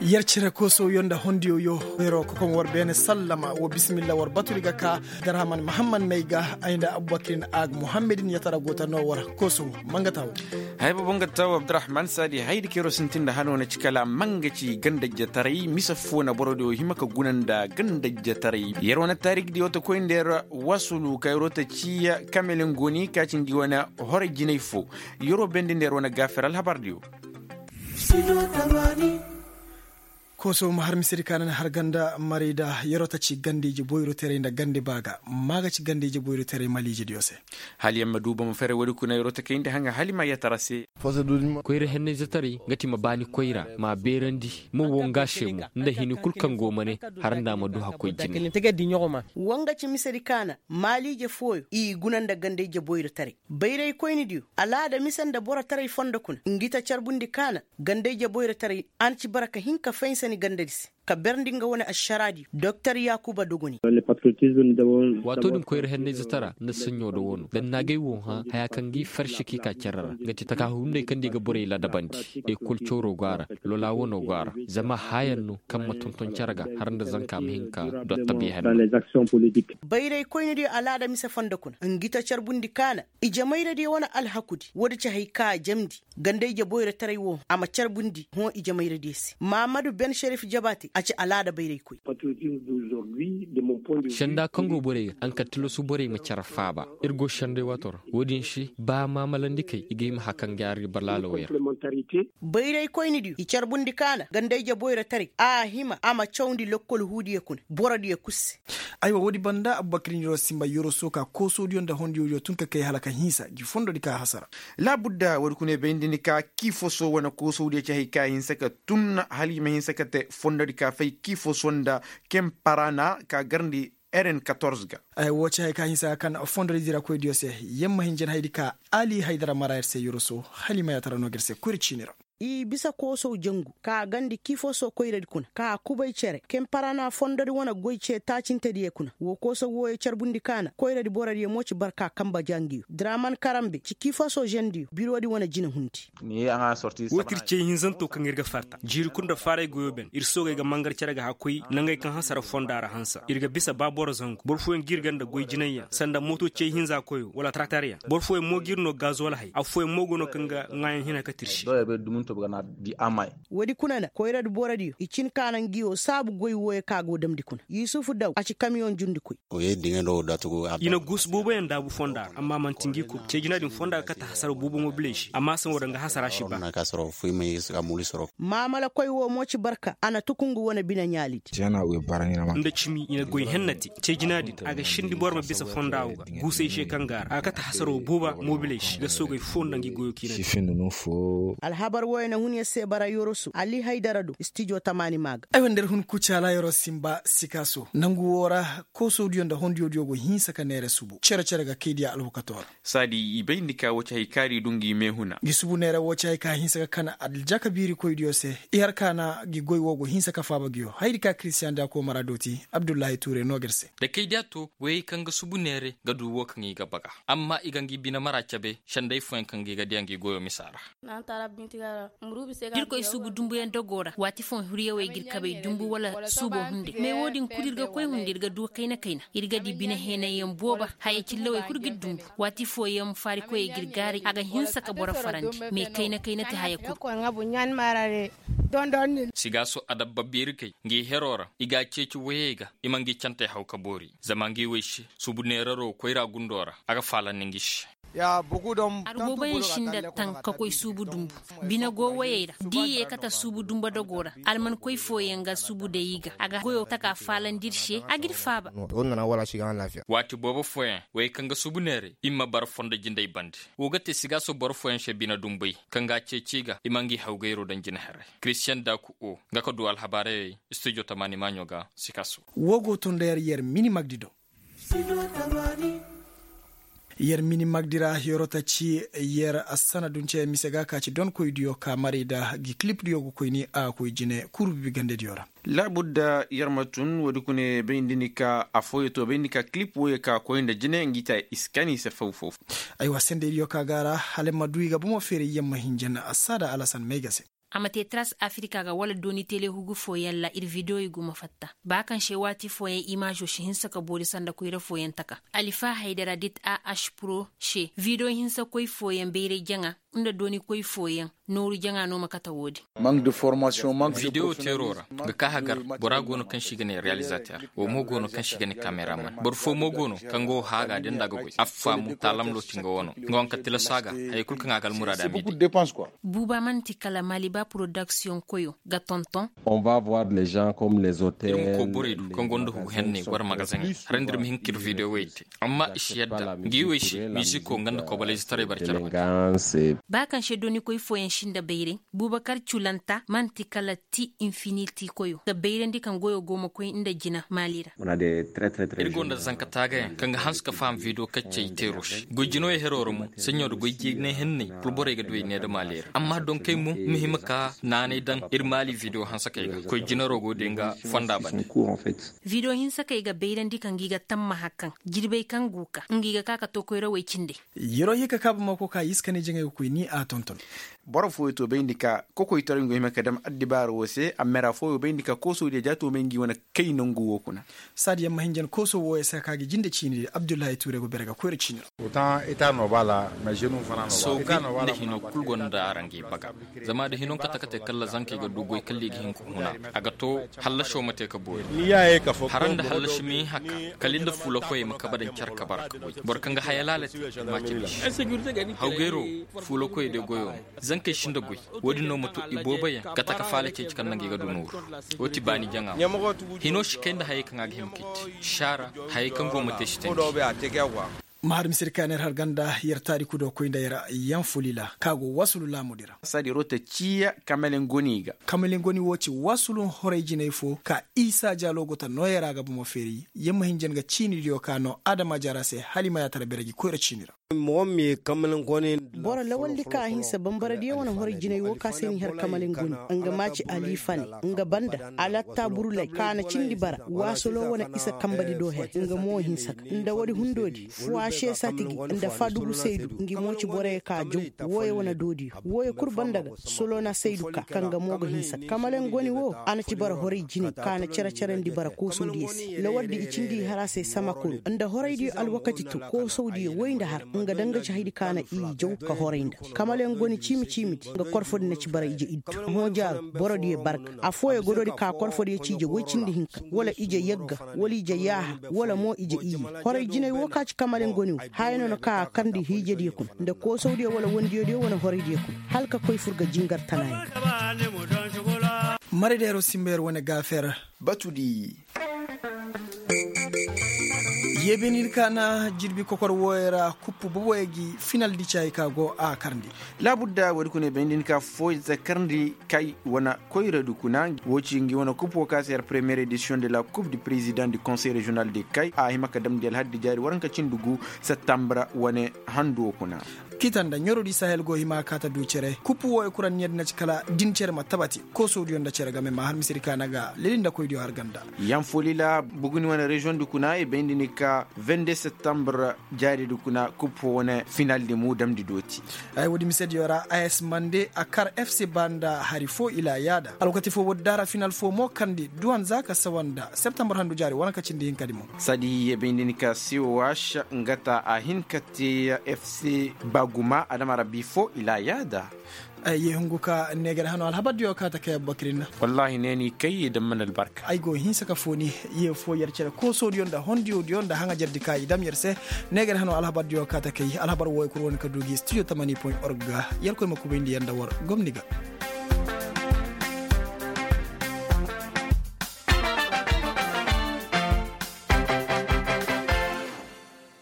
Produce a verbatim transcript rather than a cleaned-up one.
Yer cere koosow yo nda hondiyo yo. Yeroo kokom war beene sallama wo bisimilla war baturi ga ka. Darhaman mahammad may ga ay nda abubakirin ag muhammadin yatara goota no war koosow. Mangata wo. Hay boobo nga ta wo abdurahman saadi haydi ka yeroo sintin nda hano na ci kala manga ci gandajjataray mise foo na borodiyo hima ka guna nda gandajjataray yeroo na taarigdiyo ta koy nda yer wasulu ka yeroo ta ci kamelin goni ka ci ngi wane hore jinay foo. Yeroo bendi nda yer wane gaafer alhabardiyo. Kooso ma har misedi ka na ni har ganda marayda yeroo ta ci ganda ije boyroteray nda ganda baa ga. Ma ga ci ganda ije boyroteray maliijidiyo se. Hala yer ma duuba ma fere woodi kuna yeroo ta kayndi hanga hala i ma yatara se. Koyra hennayzetaray nga ti ma baani koyra ma a beerandi, ma woo nga se mo nda hini kul kaŋ go ma ne, har nda a ma du hakkoy jine. Woo nga ci misedi ka na maaliije fooyo i guna nda ganda ije boyrotaray. Bayraykoynidiyo alaada mise nda borotaray fondo kuna ngi ta carbundi ka na ganda ije boyrotaray. A na ci bara ka hin ka faysani gandadi se ka berndi nga wane ašaraadiyo doktor yaakuba dogoni. Waatoo din koyra hennayzetaray nda saɲɲo da woo no da ni na agay woo hã hayaa kaŋ ga i farse ka i ka cere ra. Nga ti takaahu hunday kaŋ nda i ga borey ladabandi, ekol cawro go a ra, lola wano go a ra. Zama haayaŋ no kaŋ ma tonton cere ga har nda zanka ma hin ka dotta biya henno. Bayraykoynidiyo alaada mise fondo kuna ngi ta carbundi ka na ijemayradiyo wane alhakudi woodi ci hay ka a jamndi. Ganda ije boyrotaray woo a ma carbundi hõ ijemayradiyo se mahamadu ben šerif jabaate a ci alaada bayraykoy. Senda kaŋ go borey ga haŋ ka tilasu borey ma care faaba. Ir go senday waatoo ra. Woo din se ba maamalandi kay i ga hima hakan ga yaari balaalawey ra. Bayraykoynidiyo i carbundi ka na ganda ije boyrotaray a hima a ma cawndi lokkol huudiyo kuna borodiyo kul se. Aywa woodi banda abubakar niroo sinba yoroso ka koosodiyo nda hondiyodiyo tun ka kay hala ka hinsa ngi fondodi ka hasara. Laabudda woodi kuna i bayndi ni ka kiifoso wane koosodiyo ci hay ka hinsa ka tun hala i ma hinsa ka te fondodi ka fay kiifoso nda kemparana ka garndi eren katorze ga. Woo ci hay ka hinsa ka kan fondodi dirakoydiyo se. Yamma hinjan haydi ka ali haydara mara yer se yoroso hala i ma yaatara noo ga yer se koyra ciini ra. I bisa koosow jangu ka gandi kiifoso koyradi kuna ka kubay cere kemparana fondodi wane goy ce taacintediyo kuna woo koosow wooyo carbundi ka na koyradi borodiyo mo ci barka kanba jangiyo draman karambe ci kiifoso žendiyo birodi wane jinahundi. Woo ti ir cey hinzanto kaŋ ir ga farta jiiri kul nda faaray goyo ben ir soogey ga mangar cere ga hakkoy nangey kaŋ hasara fonda ra hansa ir ga bisa ba boro zangu boro fooyaŋ ga ir ga nda goy jinayyaŋ sanda mooto cey hinza koyo wala taraktaryaŋ boro fooyaŋ mo ga ir no gazuwal hay affooyaŋ mo go no kaŋ ga ŋaayaŋ hina ka tirsi. Woodi kuna na koyradi borodiyo i cin ka na ngi woo saabu goy wooyo ka go damndi kuna yusufu daw a ci kamiyoŋ jundikoy. I na guusu booboyaŋ daabu fonda ra amma man'ti ngi kul cee jina din fonda ga kate hasara boobo mobiley se amma saŋ woo daŋ ga hasara si ba. Maamalakoy woo mo ci barka a na tukungu wane bine ɲaalidi. Nda cimi i na goy henna te cee jina din a ga sindi boro ma bisa fonda woo ga guusey se kaŋ ga a ra a ga kate hasara woo booba mobiley se ga soogey foo nda ngi goyo kiina. Alhabar wooyo na hun yer se bara yoroso ali haydara do stijo tamaani maa ga. Ay wa nda yer hun kucaala yeroo sinba sikaaso nangu woo ra koosodiyo nda hondiyodiyo go hinsa ka neere subu cere-cere ga kaydiya alwakatoo ra. Saadi i bayndi ka woo ci hay kaari du ngi meehuna. Ngi subu neere woo ci hay ka hinsa ka kan aljakabiirikoydiyo se i har ka na ngi goy woo go hinsa ka faaba ngi yoo haydi ka kiristiyan da koomara dooti abdullahi tuure noo ga ir se. Da kaydiya to goyey kaŋ ga subu neere ga du woo kaŋ i ga baga amma i ga ngi bine mara cabe senday fooyaŋ kaŋ ga i ga diya ngi goyo misa ra. Da ir koy suubu dumbuyaŋ dogoo ra waati fooyaŋ hiryawey ga ir kabey dumbu wala suuboo hunday mais woo din kul ir ga koy hunday ir ga duu kayna-kayna ir ga dii bine heenayyaŋ booba haya cillawey kul ga ir dumbu waati fooyaŋ faarikoyey ga ir gaaray a ga hinsa ka boro farandi mais kayna-kayna ti haya kul. Sigaaso adabba beeri kay ngi heroo ra i ga a ceeci woyey ga i ma ngi cantey haw ka boori zama ngi woy se suubu neeraroo koyra gundoo ra a ga faalandi ngi se. Ar booboyaŋ i si nda taŋ ka koy suubu dumbu bine go woyey ra da i ye kate suubu dumbu dogoo ra almankoy fooyaŋ ga suubu day i ga a ga goyo taka faalandi ir se a ga ir faaba. Waati boobo fooyaŋ woyey kaŋ ga suubu neeray i ma bara fondo jindey bande woo ga te sigaaso boro fooyaŋ se bine dumbey kaŋ ga a ceeci i ga i ma ngi hawgayroo daŋ jina herey kiristiyaŋ daaku o nga ka du alhabaarayey studio tamaani maaɲo ga sikaaso. Woo go to nda yer yer mini magdi do. Yer mini magdi ra yeroo ta ci yer assanadun cee mise ga ka ci donkoydiyo ka maray nda ngi kilipdiyo ga koy ni a ga koy jine kurbibi gandediyo ra. Laabudda yer ma tun woodi kune bayndi ni ka affooyo to bayndi ka kilip wooyo ka koy nda jine ngi ta iskani se faw-faw. Aywa sendeydiyo ka ga a ra hala ma du i ga bomo feeray yamma hinja na assaada alasan may ga se. A ma te tras afirika ga wala dooni telehugu fooyaŋ ra ir videoy go ma fatta. Ba kaŋ se waati fooyaŋ imaazo si hinsa ka boori sanda koyra fooyaŋ taka. Alifa haydara dit a ašpuro se video hinsakoy fooyaŋ bayray jaŋa nda doonikoy fooyaŋ nooru jaŋa no ma kate wo-din. Video teeroo ra ga ka hagar bora go no kaŋ se i ga ne realizater. Wo mo go no kaŋ se i ga ne kameraman boro fo mo go no kaŋ go haaga da nda a ga goy affa mo taalam looti nga wano nga wanka tilaso a ga. Hayey kulu kaŋ a ga almuraada m'i di. Buuba man'ti kala maliba porodaksiyoŋ koyo ga tonton. Ir ma koo borey du kaŋ gonda hugu henney war magazeŋey haray nda ir ma hin ka ir videowey te. Amma i si yadda ngi wey se miziko nga nda kobolayzetaray bar care. Ba kaŋ se doonikoy fooyaŋ si nda bayray buubakar culanta man'ti kala ti infiniti koyo ga bayrandi kaŋ goyo go ma koy nda jina maali ra. Ir go nda zanka taagayaŋ kaŋ ga hanse ka faham video kaccey teero se goy jinoyey heroo ra mo saɲɲo nda goy jinay henney kul borey ga du ay ne nda maali ra amma donkey mo ma hima ka naanay daŋ ir maali video hansakey ga koy jinaroo go day nga fonda bande. Video hinsakey ga bayrandi kaŋ gi ga tammaha kaŋ jirbey kaŋ go ka ngi ga ka ka to koyrawey cindey. Yeroo hii ka kaaba mako ka iska ne jaŋay ga koy ni a tonton. Boro fooyo to bayndi ka kokoytaray ngu hima ka dam addibaara woo se amma ra fooyo bayndi ka koosoo diya ja to may ngi wane kay nangu woo kuna. Saadi yamma hinjan koosoo wooyo se ka ga jinde ciini di abdullahi tuure go bere ga koyra ciini ra. Sooguy nda hinoo kul gonda araŋ ga i baga. Zama da hino nga kate kate kalla zankey ga du goy kalla i ga hin ka huna. A ga to hallasoo ma te ka boori. Hara nda hallasi ma hin haka kala ir nda fuulakoyey ma kabe daŋ care ka bara ka goy boro kaŋ ga haya laala te ma cindi se. Hawgayro fuulakoyey day goyo no. Zankey si nda goy. Wo-din no ma to ibooboyaŋ ga taka faala ceeci kaŋ naŋ ga i ga du nooru. Wo ti baani jaŋa. Hino si kay nda hayey kaŋ a ga hima kay te saara. Hayey kaŋ go ma te si tandi. Ma har misir ka yer har ganda yer taariku do koy nda yer yanfulila ka go wasulu laamudi ra. Saadi yer wo te ciiya kamalengoni ga. Kamalengoni wo ci wasulu horay jinay fo ka isa jaalo go ta nooyey ra ga bomo feeri yer ma hin jen ga ciinidiyo ka no adama jaara se hala i ma yaatara bere gi koyra ciini ra. Boro lawaldi ka a hinsa bambaradiyo wane horay jinay wo ka se ni har kamalengoni. Nga ma ci aliifane nga banda alatta burulay ka na cindi bara waasolo wane isa kambadi do her nga mo hinsa ka nda woodi hundoodi fuwaase satigi nda fadugu saydu ngi mo ci borey ka jaw. Wooyo wane doodiyo wooyo kul banda ga solo na saydu ka kaŋ ga mo ga hinsa ka kamalen goni wo. A na ci bara horay jinay ka na cere-cerandi bara koosawdiyo se lawaldi i cindi i har a se sama kuru nda horaydiyo alwakati to koosawdiyo woy nda har nga daŋ ga ci haydi ka na i jaw ka horay nda. Kamalen goni ciimi-ciimidi nga korfodi na ci bara ije iddu hõ jaaro borodiyo barka. Affooyo godoodi ka korfodiyo ci ije woy cindi hinka wala ije yagga wala ije yaaha wala mo ije iyye. Horay jinay wo ka ci kamalen goni wo haya no na ka a karndi hiijediyo kuna nda koosawdiyo wala wondiyodiyo wane horaydiyo kuna hala ka koy fur ga jingar tanayaŋ. Maradeero simba yer wane gaafer. Batudi. Yeebeni ka na jirbi kokor wooyo ra kuppu boboyo gi final di caayi ka go a karndi. Laabudda woodi kuna i bay nda ni ka fooyey za karndi kay wane koyradi kuna. Woo ci ngi wane kuppu woo ka se yer premiyer edisiyoŋ de la kup di perezidaŋ di konsey reziyonal de kay a hima ka damndi alhaddi jaari waranka cindi gu settambre wane handu woo kuna. Kita nda ɲorodi sahel go hima ka ta du cere kuppu wooyo kuraŋ ni yadda na ci kala din cere ma tabati koosodiyo nda cere game ma har misiri ka na ga leli nda koydiyo har ganda. Yanfolila buguni wane reziyoŋ di kuna i bay nda ni ka vende settambre jaari di kuna kuppo wane final di mu damndi dooti. Ay woodi misediyo ra a s mande a kar fc ba nda hari fo ila yaada alwakati fo woodi daara final fo mo karndi duwan za ka sawa nda septembre handu jaari wane ka cindi hinka di mo. Saadi ye bay nda ni ka siwa waasa nga ta a hin ka te fc ba guma adama rabbi fo ila yaada. Ay ye hungu ka neegar hano alhabardiyo ka ta kay abubakar inna. Wallaahi ne ni kay ye dam mana albarka. Ay go hinsa ka fooni ye fo yer cere koosodiyo nda hondiyodiyo nda haŋajerdi ka i dam yer se. Neegar hano alhabardiyo ka ta kay alhabar wooyo kul wane ka du gi studio tamani point org ga yer koy ma kubayndi yer nda war gomni ga.